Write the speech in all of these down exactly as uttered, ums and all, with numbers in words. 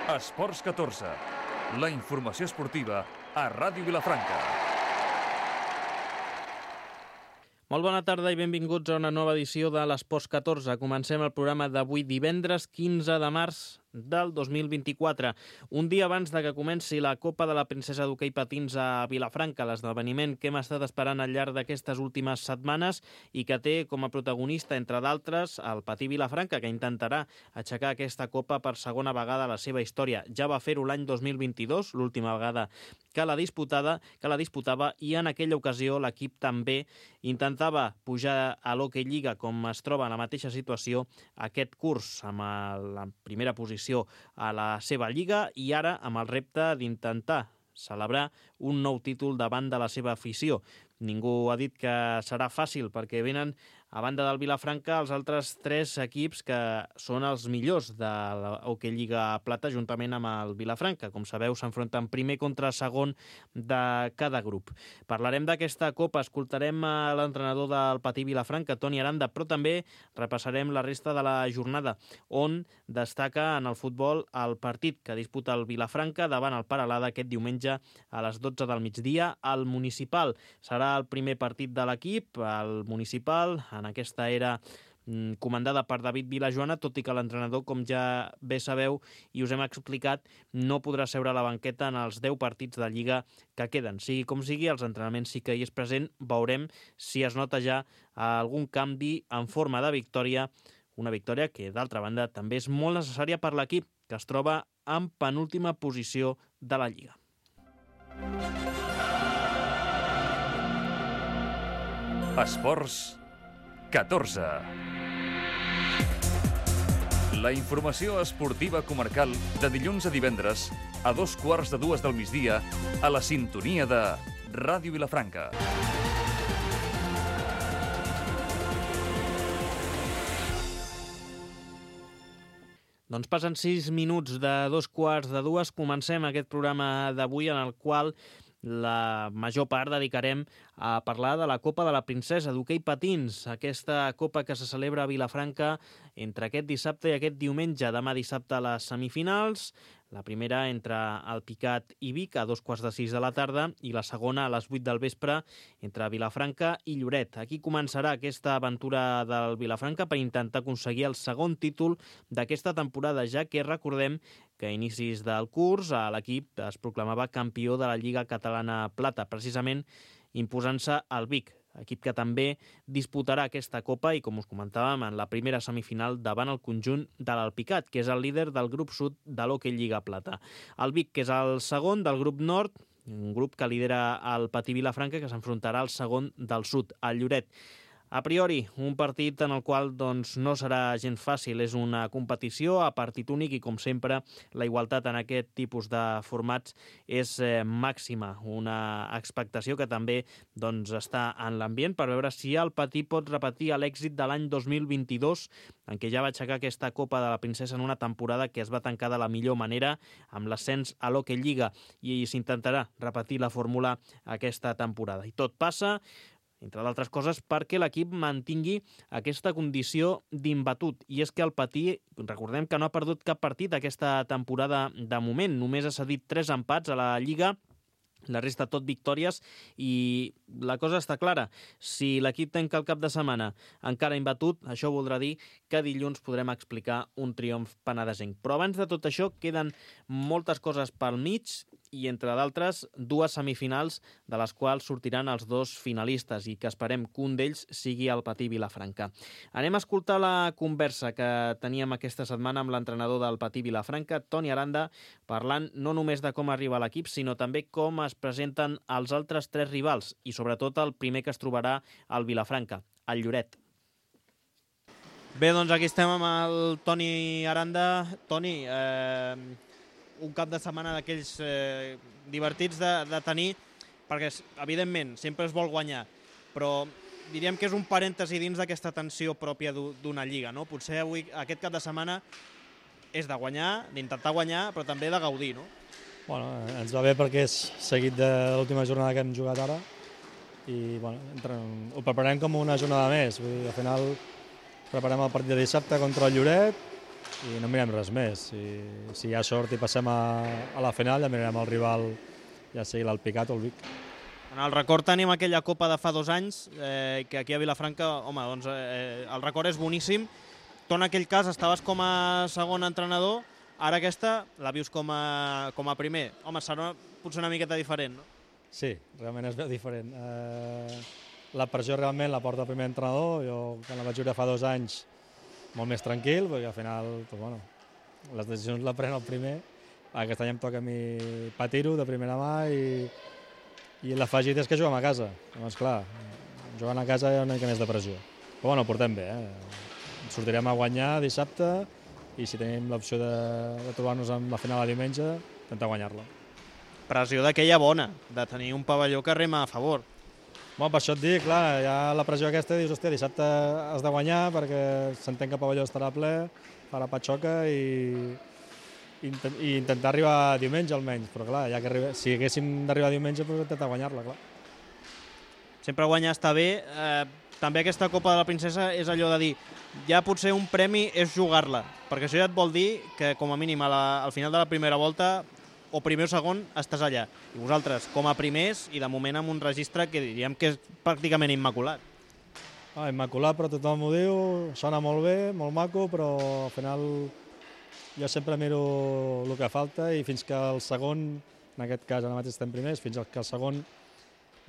Esports catorze, la informació esportiva a Ràdio Vilafranca. Molt bona tarda i benvinguts a una nova edició de l'Esports catorze. Comencem el programa d'avui divendres quinze de març del dos mil vint-i-quatre, un dia abans de que comenci la Copa de la Princesa d'Hoquei Patins a Vilafranca, l'esdeveniment que hem estat esperant al llarg d'aquestes últimes setmanes i que té com a protagonista, entre d'altres, el Patí Vilafranca, que intentarà aixecar aquesta Copa per segona vegada a la seva història. Ja va fer-ho l'any dos mil vint-i-dos, l'última vegada que la disputada, que la disputava, i en aquella ocasió l'equip també intentava pujar a l'Hockey Lliga, com es troba en la mateixa situació aquest curs, amb la primera posició a la seva lliga i ara amb el repte d'intentar celebrar un nou títol davant de la seva afició. Ningú ha dit que serà fàcil perquè venen, a banda del Vilafranca, els altres tres equips que són els millors de l'Hockey Lliga Plata juntament amb el Vilafranca. Com sabeu, s'enfronten primer contra segon de cada grup. Parlarem d'aquesta Copa, escoltarem a l'entrenador del Patí Vilafranca, Toni Aranda, però també repassarem la resta de la jornada, on destaca en el futbol el partit que disputa el Vilafranca davant el Peralada aquest diumenge a les dotze del migdia al Municipal. Serà el primer partit de l'equip, el Municipal, en aquesta era comandada per David Vilajoana, tot i que l'entrenador, com ja bé sabeu i us hem explicat, no podrà seure a la banqueta en els deu partits de Lliga que queden. Sigui com sigui, els entrenaments sí que hi és present. Veurem si es nota ja algun canvi en forma de victòria, una victòria que, d'altra banda, també és molt necessària per l'equip, que es troba en penúltima posició de la Lliga. Esports catorze. La informació esportiva comarcal de dilluns a divendres a dos quarts de dues del migdia a la sintonia de Ràdio Vilafranca. Doncs passen sis minuts de dos quarts de dues. Comencem aquest programa d'avui en el qual la major part dedicarem a parlar de la Copa de la Princesa d'Hoquei Patins, aquesta Copa que se celebra a Vilafranca entre aquest dissabte i aquest diumenge. Demà dissabte a les semifinals, la primera entre el Picat i Vic a dos quarts de sis de la tarda i la segona a les vuit del vespre entre Vilafranca i Lloret. Aquí començarà aquesta aventura del Vilafranca per intentar aconseguir el segon títol d'aquesta temporada, ja que recordem que a inicis del curs l'equip es proclamava campió de la Lliga Catalana Plata, precisament imposant-se al Vic, equip que també disputarà aquesta Copa i, com us comentàvem, en la primera semifinal davant el conjunt de l'Alpicat, que és el líder del grup sud de l'Hockey Lliga Plata. El Vic, que és el segon del grup nord, un grup que lidera el Patí Vilafranca, que s'enfrontarà al segon del sud, el Lloret. A priori, un partit en el qual doncs, no serà gens fàcil. És una competició a partit únic i, com sempre, la igualtat en aquest tipus de formats és eh, màxima. Una expectació que també doncs, està en l'ambient per veure si el Patí pot repetir l'èxit de l'any dos mil vint-i-dos, en què ja va aixecar aquesta Copa de la Princesa en una temporada que es va tancar de la millor manera amb l'ascens a l'Hockey Lliga, i s'intentarà repetir la fórmula aquesta temporada. I tot passa, entre d'altres coses, perquè l'equip mantingui aquesta condició d'imbatut. I és que el Patí, recordem que no ha perdut cap partit aquesta temporada de moment. Només ha cedit tres empats a la Lliga, la resta tot victòries, i la cosa està clara. Si l'equip tanca el cap de setmana encara imbatut, això voldrà dir que dilluns podrem explicar un triomf penedesenc. Però abans de tot això queden moltes coses pel mig i, entre d'altres, dues semifinals de les quals sortiran els dos finalistes i que esperem que un d'ells sigui el Patí Vilafranca. Anem a escoltar la conversa que teníem aquesta setmana amb l'entrenador del Patí Vilafranca, Toni Aranda, parlant no només de com arriba l'equip, sinó també com es presenten els altres tres rivals i, sobretot, el primer que es trobarà al Vilafranca, el Lloret. Bé, doncs aquí estem amb el Toni Aranda. Toni, eh, un cap de setmana d'aquells eh, divertits de, de tenir, perquè, evidentment, sempre es vol guanyar, però diríem que és un parèntesi dins d'aquesta tensió pròpia d'una lliga, no? Potser avui, aquest cap de setmana, és de guanyar, d'intentar guanyar, però també de gaudir, no? Bueno, ens va bé perquè és seguit de l'última jornada que hem jugat ara i bueno, entre, ho preparem com una jornada més. Vull dir, al final preparem el partit de dissabte contra el Lloret i no mirem res més. Si, si hi ha sort i passem a, a la final, ja mirarem el rival, ja sigui l'Alpicat o el Vic. En el record tenim aquella Copa de fa dos anys, eh, que aquí a Vilafranca, home, doncs eh, el record és boníssim. Tu en aquell cas estaves com a segon entrenador, ara aquesta la vius com a, com a primer. Home, serà potser una miqueta diferent, no? Sí, realment es veu diferent. Eh, la pressió realment la porta el primer entrenador, jo quan la vaig viure fa dos anys molt més tranquil, perquè al final doncs, bueno, les decisions la pren el primer. Aquest any em toca a mi patir-ho de primera mà i, i l'afegit és que juguem a casa. Llavors, clar, jugant a casa hi ha una mica més de pressió. Però bueno, ho portem bé, eh? Sortirem a guanyar dissabte i si tenim l'opció de, de trobar-nos amb la final a diumenge, intentar guanyar-la. Pressió d'aquella bona, de tenir un pavelló que rema a favor. Bueno, per això et dic, clar, hi ha la pressió aquesta, dius, hòstia, dissabte has de guanyar perquè s'entén que el pavelló estarà ple, farà patxoca i, i, i intentar arribar diumenge almenys, però clar, ja que arriba, si haguéssim d'arribar diumenge, doncs intentar guanyar-la, clar. Sempre guanyar està bé. Eh, també aquesta Copa de la Princesa és allò de dir, ja potser un premi és jugar-la, perquè això ja et vol dir que com a mínim a la, al final de la primera volta o primer o segon, estàs allà. I vosaltres, com a primers, i de moment amb un registre que diríem que és pràcticament immaculat. Ah, immaculat, però tothom ho diu, sona molt bé, molt maco, però al final jo sempre miro el que falta i fins que el segon, en aquest cas ara mateix estem primers, fins que el segon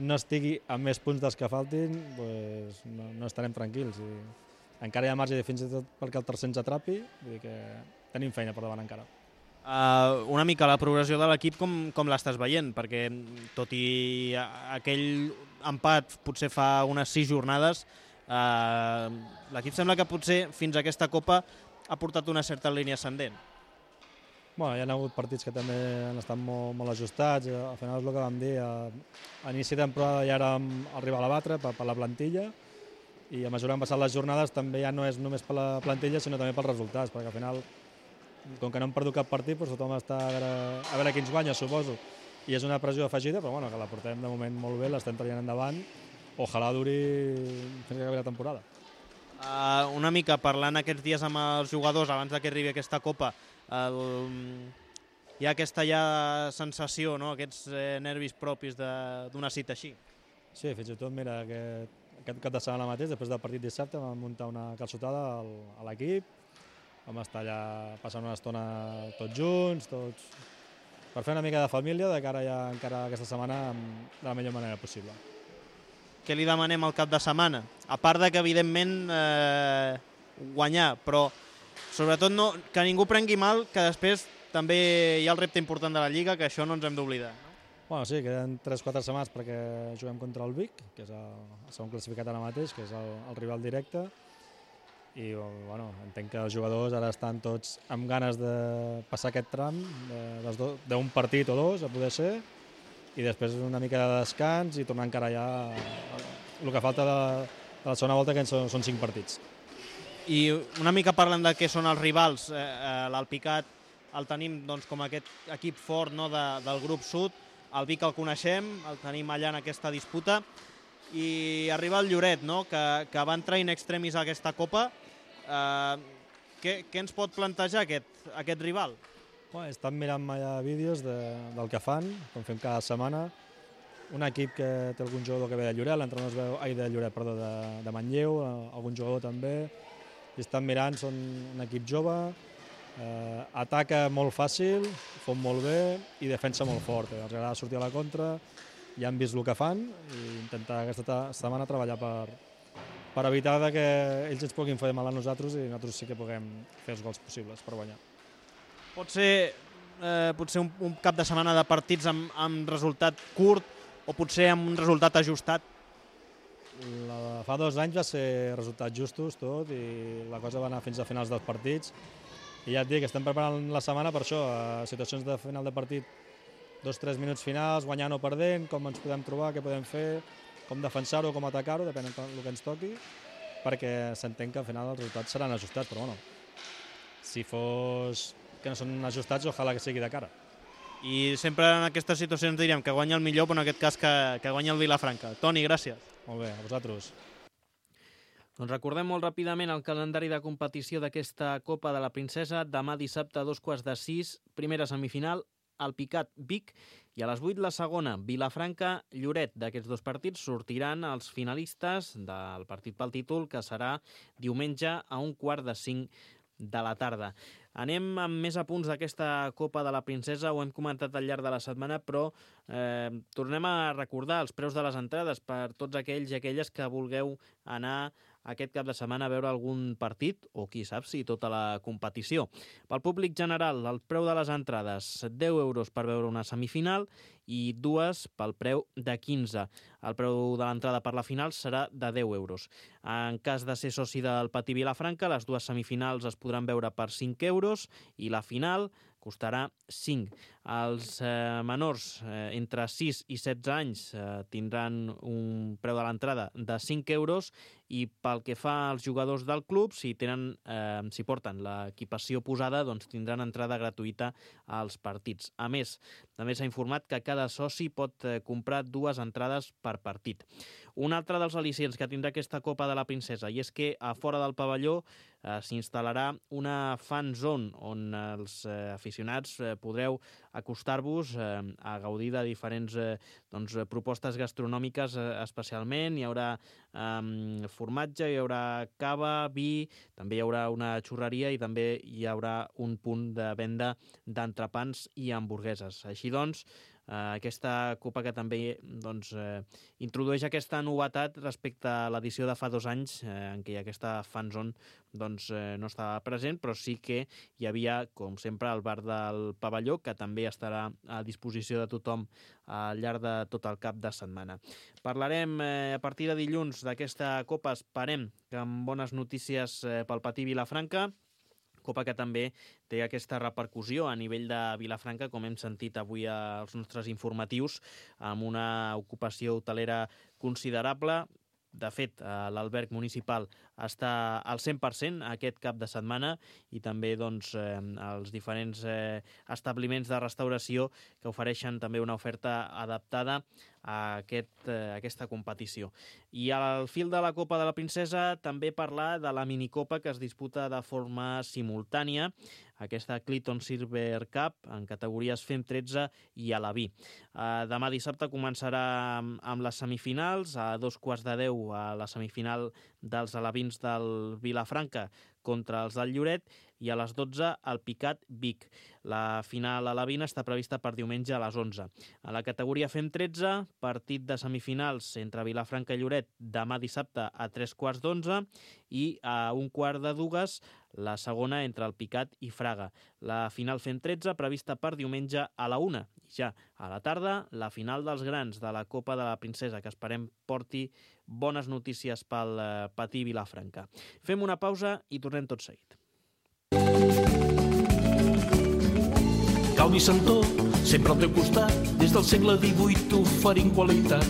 no estigui amb més punts dels que faltin, doncs no, no estarem tranquils. I encara hi ha marge fins i tot perquè el tercer ens atrapi, vull dir que tenim feina per davant encara. Uh, una mica la progressió de l'equip com, com l'estàs veient, perquè tot i aquell empat potser fa unes sis jornades, uh, l'equip sembla que potser fins a aquesta Copa ha portat una certa línia ascendent. Bueno, hi ha hagut partits que també han estat molt, molt ajustats, al final és el que vam dir, a, a inici de temporada ja érem el rival a batre per, per la plantilla i a mesura que han passat les jornades també ja no és només per la plantilla sinó també pels resultats, perquè al final com que no hem perdut cap partit, doncs tothom està a veure, a veure qui ens guanya, suposo. I és una pressió afegida, però bueno, que la portem de moment molt bé, l'estem traient endavant. Ojalà duri fins que acabi la temporada. Uh, una mica parlant aquests dies amb els jugadors abans que arribi aquesta Copa, el... hi ha aquesta ja sensació, no? Aquests eh, nervis propis d'una cita així. Sí, fins i tot, mira, aquest, aquest cap de setmana mateix, després del partit dissabte, vam muntar una calçotada al, a l'equip. Vam estar allà passant una estona tots junts, tots per fer una mica de família de cara ja encara aquesta setmana de la millor manera possible. Què li demanem al cap de setmana? A part de que, evidentment, eh, guanyar, però sobretot no, que ningú prengui mal, que després també hi ha el repte important de la Lliga, que això no ens hem d'oblidar. No? Bueno, sí, queden tres o quatre setmanes perquè juguem contra el Vic, que és el, el segon classificat ara mateix, que és el, el rival directe, i bueno, entenc que els jugadors ara estan tots amb ganes de passar aquest tram d'un partit o dos, a poder ser, i després una mica de descans i tornar encara ja el que falta de, de la segona volta, que són, són cinc partits. I una mica parlant de què són els rivals, eh, l'Alpicat el tenim doncs, com aquest equip fort, no, de, del grup sud, el Vic el coneixem, el tenim allà en aquesta disputa, i arriba el Lloret, no, que, que va entrar in extremis a aquesta Copa. Uh, què, què ens pot plantejar aquest, aquest rival? Bueno, estan mirant allà vídeos de, del que fan, com fem cada setmana. Un equip que té algun jugador que ve de Lloret, l'entrenador es veu, ai, de Lloret, perdó, de, de Manlleu, algun jugador també. I estan mirant, són un equip jove, eh, ataca molt fàcil, fot molt bé i defensa molt fort. Eh. Els agrada sortir a la contra, ja han vist el que fan i intentar aquesta setmana treballar per, per evitar que ells ens puguin fer mal a nosaltres i nosaltres sí que puguem fer els gols possibles per guanyar. Pot ser, eh, potser un, un cap de setmana de partits amb, amb resultat curt o potser amb un resultat ajustat? La, fa dos anys va ser resultats justos tot i la cosa va anar fins a finals dels partits i ja et dic, estem preparant la setmana per això, a situacions de final de partit, dos o tres minuts finals, guanyant o perdent, com ens podem trobar, què podem fer, com defensar-ho, com atacar-ho, depèn del que ens toqui, perquè s'entén que al final els resultats seran ajustats, però bueno, si fos que no són ajustats, ojalà que sigui de cara. I sempre en aquestes situacions diríem que guanya el millor, però en aquest cas que, que guanya el Vilafranca. Toni, gràcies. Molt bé, a vosaltres. Doncs recordem molt ràpidament el calendari de competició d'aquesta Copa de la Princesa. Demà dissabte a dos quarts de sis, primera semifinal, Alpicat Vic, i a les vuit la segona, Vilafranca Lloret. D'aquests dos partits sortiran els finalistes del partit pel títol, que serà diumenge a un quart de cinc de la tarda. Anem amb més apunts d'aquesta Copa de la Princesa, ho hem comentat al llarg de la setmana, però eh, tornem a recordar els preus de les entrades per tots aquells i aquelles que vulgueu anar aquest cap de setmana a veure algun partit, o qui sap si tota la competició. Pel públic general, el preu de les entrades, deu euros per veure una semifinal i dues pel preu de quinze. El preu de l'entrada per la final serà de deu euros. En cas de ser soci del Patí Vilafranca, les dues semifinals es podran veure per cinc euros i la final costarà cinc. Els eh, menors eh, entre sis i setze anys eh, tindran un preu de l'entrada de cinc euros i pel que fa als jugadors del club, si tenen, eh, si porten l'equipació posada, doncs tindran entrada gratuïta als partits. A més, també s'ha informat que cada soci pot eh, comprar dues entrades per partit. Un altre dels al·licients que tindrà aquesta Copa de la Princesa, i és que a fora del pavelló eh, s'instal·larà una fan zone on els eh, aficionats eh, podreu acostar-vos eh, a gaudir de diferents eh, doncs, propostes gastronòmiques eh, especialment. Hi haurà eh, formatge, hi haurà cava, vi, també hi haurà una xurreria i també hi haurà un punt de venda d'entrepans i hamburgueses. Així doncs, Uh, aquesta Copa que també doncs, uh, introdueix aquesta novetat respecte a l'edició de fa dos anys uh, en què aquesta fanzone doncs, uh, no estava present, però sí que hi havia, com sempre, el bar del pavelló, que també estarà a disposició de tothom al llarg de tot el cap de setmana. Parlarem uh, a partir de dilluns d'aquesta Copa, esperem que amb bones notícies uh, pel Patí Vilafranca, Copa que també té aquesta repercussió a nivell de Vilafranca, com hem sentit avui als nostres informatius, amb una ocupació hotelera considerable. De fet, l'alberg municipal està al cent per cent aquest cap de setmana i també doncs, eh, els diferents eh, establiments de restauració que ofereixen també una oferta adaptada a aquest, eh, aquesta competició. I al fil de la Copa de la Princesa també parlar de la minicopa que es disputa de forma simultània, aquesta Clinton Silver Cup en categories F E M tretze i Alaví. Eh, demà dissabte començarà amb, amb les semifinals, a dos quarts de deu a la semifinal dels alevins del Vilafranca contra els del Lloret i a les dotze el Picat Vic. La final alevina està prevista per diumenge a les onze. A la categoria F E M tretze, partit de semifinals entre Vilafranca i Lloret demà dissabte a tres quarts d'onze i a un quart de dues la segona entre el Picat i Fraga. La final F E M tretze prevista per diumenge a la una. I ja a la tarda la final dels grans de la Copa de la Princesa, que esperem porti bones notícies pel eh, Patí Vilafranca. Fem una pausa i tornem tot seguit. Calvi Santó, sempre al teu costat, des del segle divuit oferint qualitat.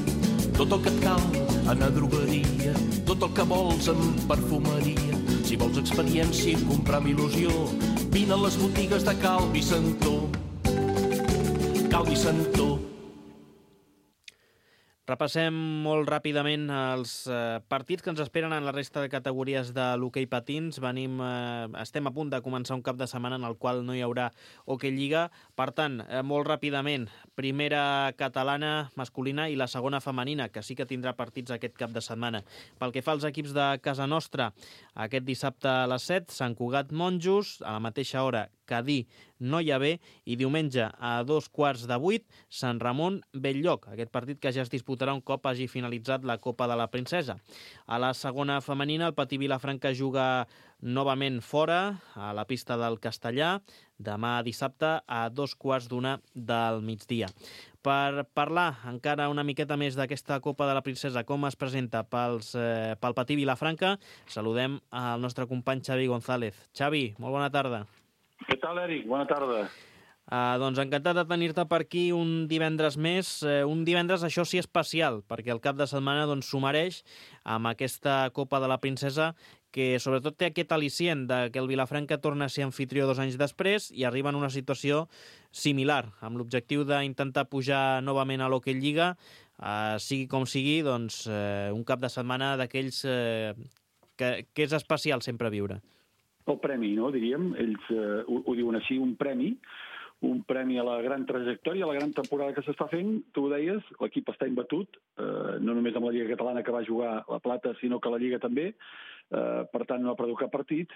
Tot el que et cal en a drogueria, tot el que vols en perfumeria. Si vols experiència i comprar amb il·lusió, vine a les botigues de Calvi Santó. Calvi Santó. Repassem molt ràpidament els eh, partits que ens esperen en la resta de categories de l'hoquei patins. Venim, eh, estem a punt de començar un cap de setmana en el qual no hi haurà hoquei lliga. Per tant, eh, molt ràpidament, primera catalana masculina i la segona femenina, que sí que tindrà partits aquest cap de setmana. Pel que fa als equips de casa nostra, aquest dissabte a les set, Sant Cugat Monjos, a la mateixa hora Cadí Noia-B i diumenge a dos quarts de vuit Sant Ramon Bell-lloc, aquest partit que ja es disputarà un cop hagi finalitzat la Copa de la Princesa. A la segona femenina el Patí Vilafranca juga novament fora, a la pista del Castellà, demà dissabte a dos quarts d'una del migdia. Per parlar encara una miqueta més d'aquesta Copa de la Princesa, com es presenta pels, eh, pel Patí Vilafranca, saludem al nostre company Xavi González. Xavi, molt bona tarda. Què tal, Eric? Bona tarda. Uh, doncs encantat de tenir-te per aquí un divendres més, uh, un divendres això sí especial, perquè el cap de setmana doncs, s'ho mereix amb aquesta Copa de la Princesa que sobretot té aquest al·licient de que el Vilafranca torna a ser anfitrió dos anys després i arriba en una situació similar, amb l'objectiu d'intentar pujar novament a l'Hockey Lliga, uh, sigui com sigui, doncs, uh, un cap de setmana d'aquells uh, que, que és especial sempre viure? El premi, no, diríem. Ells eh, ho, ho diuen així, un premi, un premi a la gran trajectòria, a la gran temporada que s'està fent. Tu ho deies, l'equip està imbatut, eh, no només amb la Lliga Catalana que va jugar la Plata, sinó que la Lliga també. Eh, per tant, no ha perdut cap partit,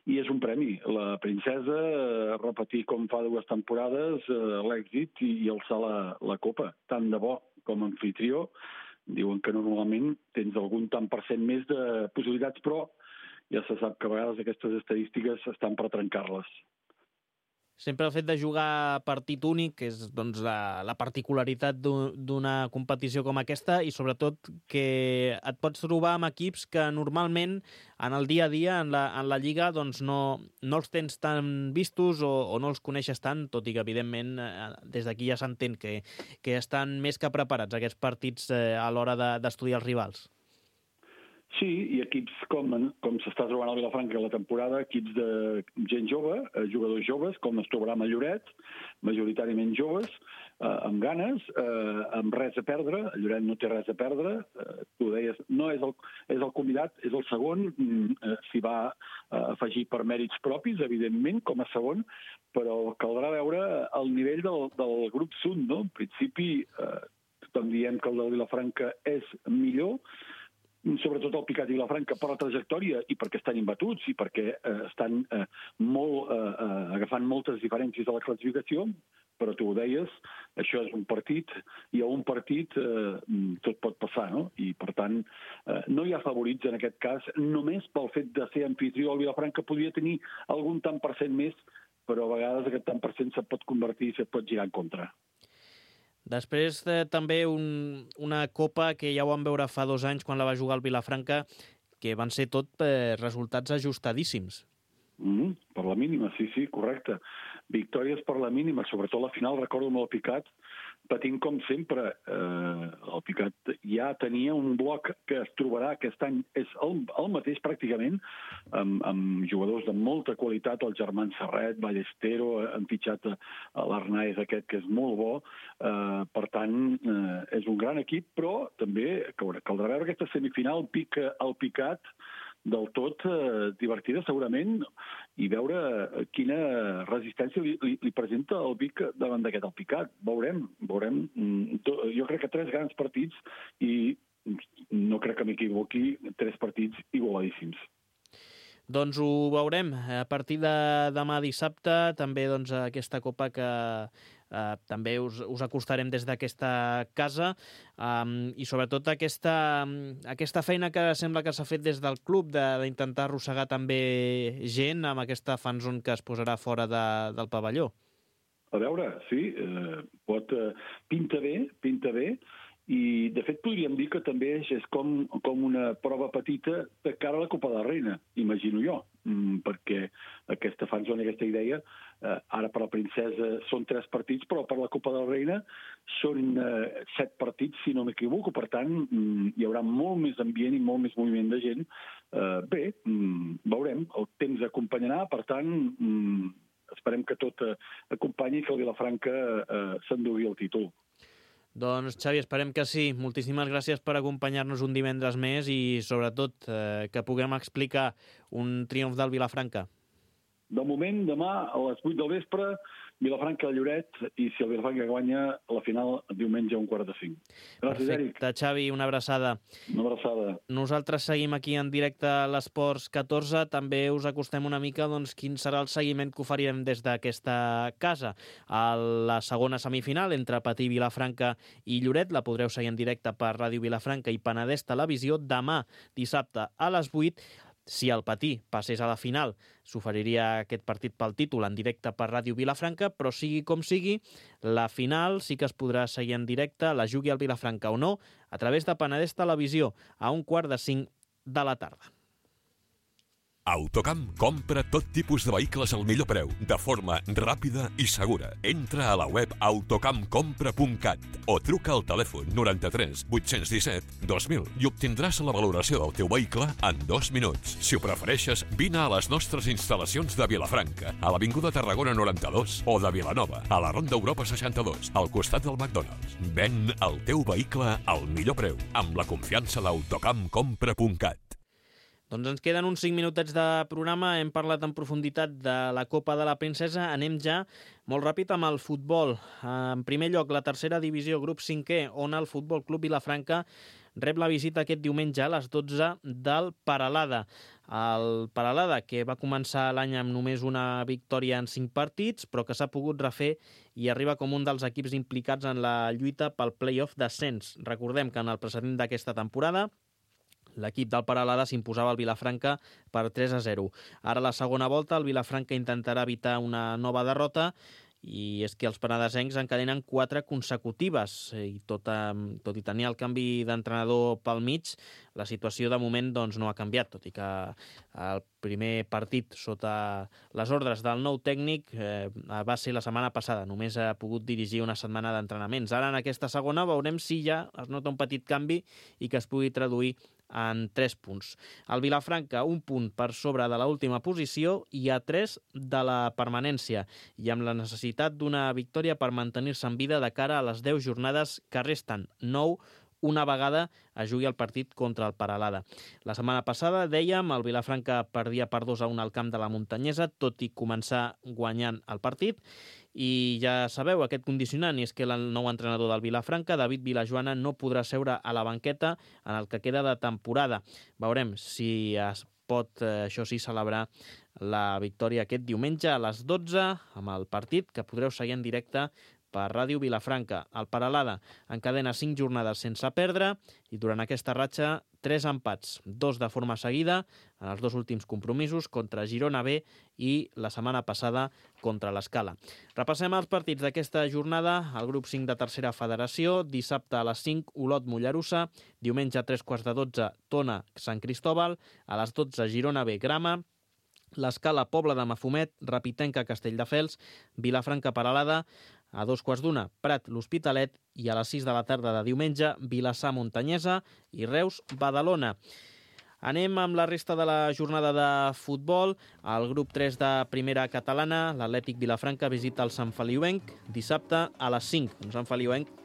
i és un premi. La princesa, eh, repetir com fa dues temporades, eh, l'èxit i, i alçar la, la copa. Tant de bo com a anfitrió. Diuen que normalment tens algun tant per cent més de possibilitats, però ja se sap que a vegades aquestes estadístiques estan per trencar-les. Sempre el fet de jugar partit únic, que és doncs, la, la particularitat d'una competició com aquesta, i sobretot que et pots trobar amb equips que normalment en el dia a dia, en la, en la Lliga, doncs no, no els tens tan vistos o, o no els coneixes tant, tot i que, evidentment, des d'aquí ja s'entén que, que estan més que preparats aquests partits eh, a l'hora d'estudiar els rivals. Sí, i equips com, com s'està trobant al Vilafranca la temporada, equips de gent jove, eh, jugadors joves, com es trobarà a Lloret, majoritàriament joves, eh, amb ganes, eh, amb res a perdre. El Lloret no té res a perdre, eh, tu deies, no és el, és el convidat, és el segon, eh, s'hi va eh, afegir per mèrits propis, evidentment, com a segon, però caldrà veure el nivell del, del grup Sud, no? En principi, eh, tothom diem que el del Vilafranca és millor, sobretot el Picat i Vilafranca, per la trajectòria i perquè estan imbatuts i perquè eh, estan eh, molt, eh, agafant moltes diferències de la classificació, però tu ho deies, això és un partit, i a un partit eh, tot pot passar, no? I, per tant, eh, no hi ha favorits en aquest cas, només pel fet de ser anfitrió al Vilafranca podria tenir algun tant per cent més, però a vegades aquest tant per cent se't pot convertir i se't pot girar en contra. Després de, també un, una copa que ja ho vam veure fa dos anys quan la va jugar el Vilafranca, que van ser tot eh, resultats ajustadíssims. Mm, per la mínima, sí, sí, correcte. Victòries per la mínima, sobretot la final, recordo amb el Picat, patint com sempre. Eh, el Picat ja tenia un bloc que es trobarà aquest any, és el, el mateix pràcticament, amb, amb jugadors de molta qualitat, el Germán Serret, Ballestero, han fitxat a l'Arnaez aquest, que és molt bo. Eh, per tant, eh, és un gran equip, però també caldrà veure aquesta semifinal, pica el Picat, del tot eh, divertida segurament, i veure quina resistència li, li, li presenta el Vic davant d'aquest Alpicat. Veurem, veurem. Jo crec que tres grans partits i no crec que m'equivoqui, tres partits igualadíssims. Doncs ho veurem a partir de demà dissabte, també doncs, aquesta copa que eh, també us, us acostarem des d'aquesta casa, um, i sobretot aquesta, aquesta feina que sembla que s'ha fet des del club d'intentar arrossegar també gent amb aquesta fanzone que es posarà fora de, del pavelló. A veure, sí, eh, pot, eh, pinta bé, pinta bé, i de fet podríem dir que també és com, com una prova petita de cara a la Copa de la Reina, imagino jo, mm, perquè aquesta fanzone, aquesta idea, eh, ara per la princesa són tres partits, però per la Copa de la Reina són eh, set partits, si no m'equivoco, per tant mm, hi haurà molt més ambient i molt més moviment de gent. Eh, bé, mm, veurem, el temps acompanyarà, per tant, mm, esperem que tot eh, acompanyi i que el Vilafranca eh, s'endugui el títol. Doncs, Xavi, esperem que sí. Moltíssimes gràcies per acompanyar-nos un divendres més i, sobretot, eh, que puguem explicar un triomf del Vilafranca. De moment, demà a les vuit del vespre, Vilafranca a Lloret, i si el Vilafranca guanya la final diumenge a un quart de cinc. Gràcies, Eric. Perfecte, Xavi, una abraçada. Una abraçada. Nosaltres seguim aquí en directe a l'Esports catorze. També us acostem una mica doncs, quin serà el seguiment que oferirem des d'aquesta casa. A la segona semifinal entre Patí, Vilafranca i Lloret la podreu seguir en directe per Ràdio Vilafranca i Penedès Televisió demà dissabte a les vuit. Si el Patí passés a la final, s'oferiria aquest partit pel títol en directe per Ràdio Vilafranca, però sigui com sigui, la final sí que es podrà seguir en directe, la jugui al Vilafranca o no, a través de Penedès Televisió, a un quart de cinc de la tarda. Autocamp compra tot tipus de vehicles al millor preu, de forma ràpida i segura. Entra a la web autocamp compra punt cat o truca al telèfon noranta-tres vuit-cents disset dos mil i obtindràs la valoració del teu vehicle en dos minuts. Si ho prefereixes, vine a les nostres instal·lacions de Vilafranca, a l'Avinguda Tarragona noranta-dos o de Vilanova, a la Ronda Europa seixanta-dos, al costat del McDonald's. Ven el teu vehicle al millor preu, amb la confiança d'Autocamp compra punt cat. Doncs ens queden uns cinc minutets de programa, hem parlat en profunditat de la Copa de la Princesa, anem ja molt ràpid amb el futbol. En primer lloc, la tercera divisió, grup cinquè, on el Futbol Club Vilafranca rep la visita aquest diumenge a les dotze del Peralada. El Peralada, que va començar l'any amb només una victòria en cinc partits, però que s'ha pogut refer i arriba com un dels equips implicats en la lluita pel play-off d'ascens. Recordem que en el precedent d'aquesta temporada l'equip del Peralada s'imposava al Vilafranca per tres a zero. Ara a la segona volta el Vilafranca intentarà evitar una nova derrota i és que els penedesencs encadenen quatre consecutives i tot, tot i tenir el canvi d'entrenador pel mig, la situació de moment doncs, no ha canviat, tot i que el primer partit sota les ordres del nou tècnic eh, va ser la setmana passada, només ha pogut dirigir una setmana d'entrenaments. Ara en aquesta segona veurem si ja es nota un petit canvi i que es pugui traduir en tres punts. El Vilafranca, un punt per sobre de l'última posició i a tres de la permanència, i amb la necessitat d'una victòria per mantenir-se en vida de cara a les deu jornades que resten, nou una vegada es jugui el partit contra el Peralada. La setmana passada, dèiem, el Vilafranca perdia per dos a un al camp de la Muntanyesa, tot i començar guanyant el partit. I ja sabeu aquest condicionant, i és que el nou entrenador del Vilafranca, David Vilajoana, no podrà seure a la banqueta en el que queda de temporada. Veurem si es pot, això sí, celebrar la victòria aquest diumenge a les dotze amb el partit que podreu seguir en directe per Ràdio Vilafranca. El Peralada encadena cinc jornades sense perdre i durant aquesta ratxa tres empats, dos de forma seguida en els dos últims compromisos contra Girona B i la setmana passada contra l'Escala. Repassem els partits d'aquesta jornada. El grup cinc de tercera federació, dissabte a les cinc, Olot Mollerussa, diumenge a tres quarts de dotze, Tona Sant Cristóbal, a les dotze Girona B Grama, l'Escala Pobla de Mafumet, Rapitenca Castelldefels, Vilafranca Peralada, a dos quarts d'una, Prat l'Hospitalet i a les sis de la tarda de diumenge, Vilassar Muntanyesa i Reus Badalona. Anem amb la resta de la jornada de futbol. El grup tres de primera catalana, l'Atlètic Vilafranca visita el Sant Feliuenc dissabte a les cinc. Un Sant Feliuenc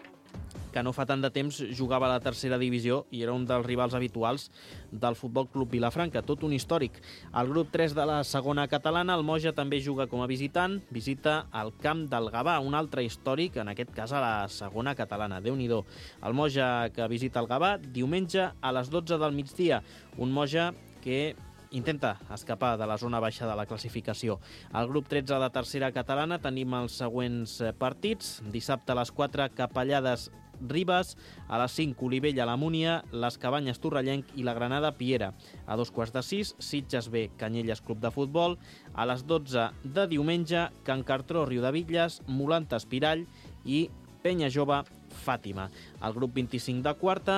que no fa tant de temps jugava a la tercera divisió i era un dels rivals habituals del Futbol Club Vilafranca, tot un històric. El grup tres de la segona catalana, el Moja també juga com a visitant, visita el camp del Gavà, un altre històric, en aquest cas a la segona catalana. Déu-n'hi-do. El Moja que visita el Gavà diumenge a les dotze del migdia, un Moja que intenta escapar de la zona baixa de la classificació. Al grup tretze de tercera catalana tenim els següents partits. Dissabte a les quatre, Capellades Ribes, a les cinc, Olivella la Múnia, les Cabanyes Torrellenc i la Granada Piera. A dos quarts de sis, Sitges B, Canyelles Club de Futbol. A les dotze de diumenge, Can Cartró Riudebitlles, Molanta Espirall i Penya Jove Fàtima. Al grup vint-i-cinc de quarta,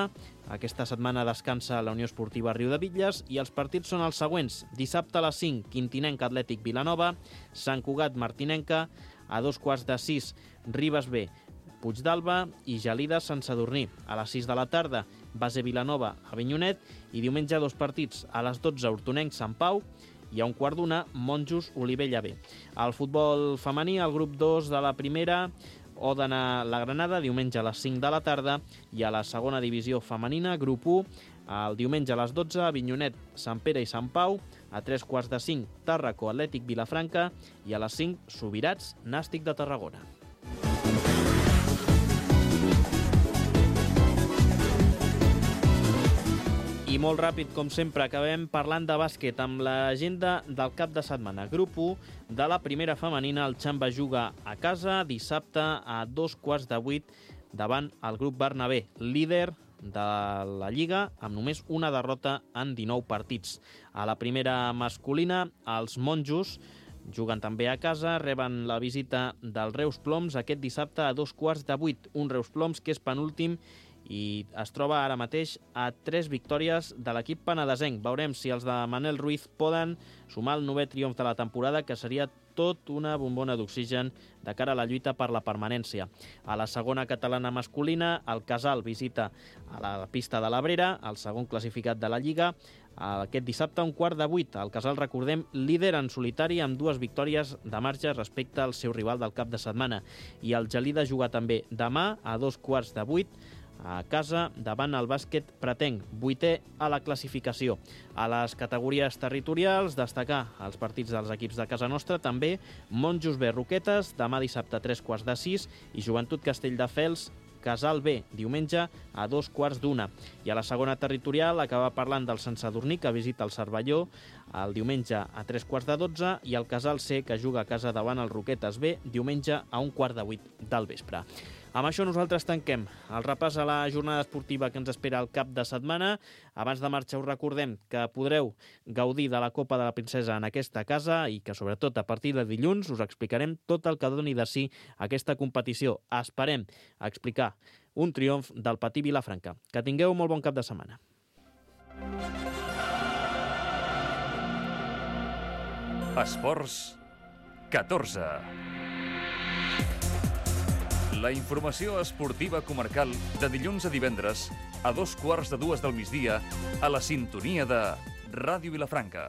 aquesta setmana descansa la Unió Esportiva Riudebitlles i els partits són els següents. Dissabte a les cinc, Quintinenca Atlètic Vilanova, Sant Cugat Martinenca, a dos quarts de sis, Ribes B, Puigdàlber i Gelida Sant Sadurní. A les sis de la tarda, Base Vilanova a Avinyonet i diumenge dos partits. A les dotze, Hortonenc Sant Pau i a un quart d'una, Monjos Olivella B. Al futbol femení, el grup dos de la primera, Òdena la Granada, diumenge a les cinc de la tarda, i a la segona divisió femenina, grup u, el diumenge a les dotze, Avinyonet, Sant Pere i Sant Pau, a tres quarts de cinc, Tàrraco Atlètic Vilafranca i a les cinc, Subirats Nàstic de Tarragona. I molt ràpid, com sempre, acabem parlant de bàsquet amb l'agenda del cap de setmana. Grup u de la primera femenina, el Xamba juga a casa dissabte a dos quarts de vuit davant el grup Bernabé, líder de la Lliga amb només una derrota en dinou partits. A la primera masculina, els Monjos juguen també a casa, reben la visita del Reus Ploms aquest dissabte a dos quarts de vuit. Un Reus Ploms que és penúltim i es troba ara mateix a tres victòries de l'equip penedesenc. Veurem si els de Manel Ruiz poden sumar el novè triomf de la temporada, que seria tot una bombona d'oxigen de cara a la lluita per la permanència. A la segona catalana masculina, el Casal visita a la pista de l'Abrera, el segon classificat de la Lliga, aquest dissabte a un quart de vuit. El Casal, recordem, líder en solitari amb dues victòries de marge respecte al seu rival del cap de setmana. I el Gelida juga també demà a dos quarts de vuit a casa davant el bàsquet pretenc, vuitè a la classificació. A les categories territorials, destacar els partits dels equips de casa nostra, també Monjos B Roquetes, demà dissabte a tres quarts de sis, i Joventut Castelldefels, Casal B, diumenge a dos quarts d'una. I a la segona territorial acaba parlant del Sant Sadurní, que visita el Cervelló el diumenge a tres quarts de dotze, i el Casal C, que juga a casa davant el Roquetes B, diumenge a un quart de vuit del vespre. Amb això nosaltres tanquem el repàs a la jornada esportiva que ens espera el cap de setmana. Abans de marxar us recordem que podreu gaudir de la Copa de la Princesa en aquesta casa i que sobretot a partir de dilluns us explicarem tot el que doni de si aquesta competició. Esperem explicar un triomf del Patí Vilafranca. Que tingueu molt bon cap de setmana. Esports catorze. La informació esportiva comarcal de dilluns a divendres a dos quarts de dues del migdia a la sintonia de Ràdio Vilafranca.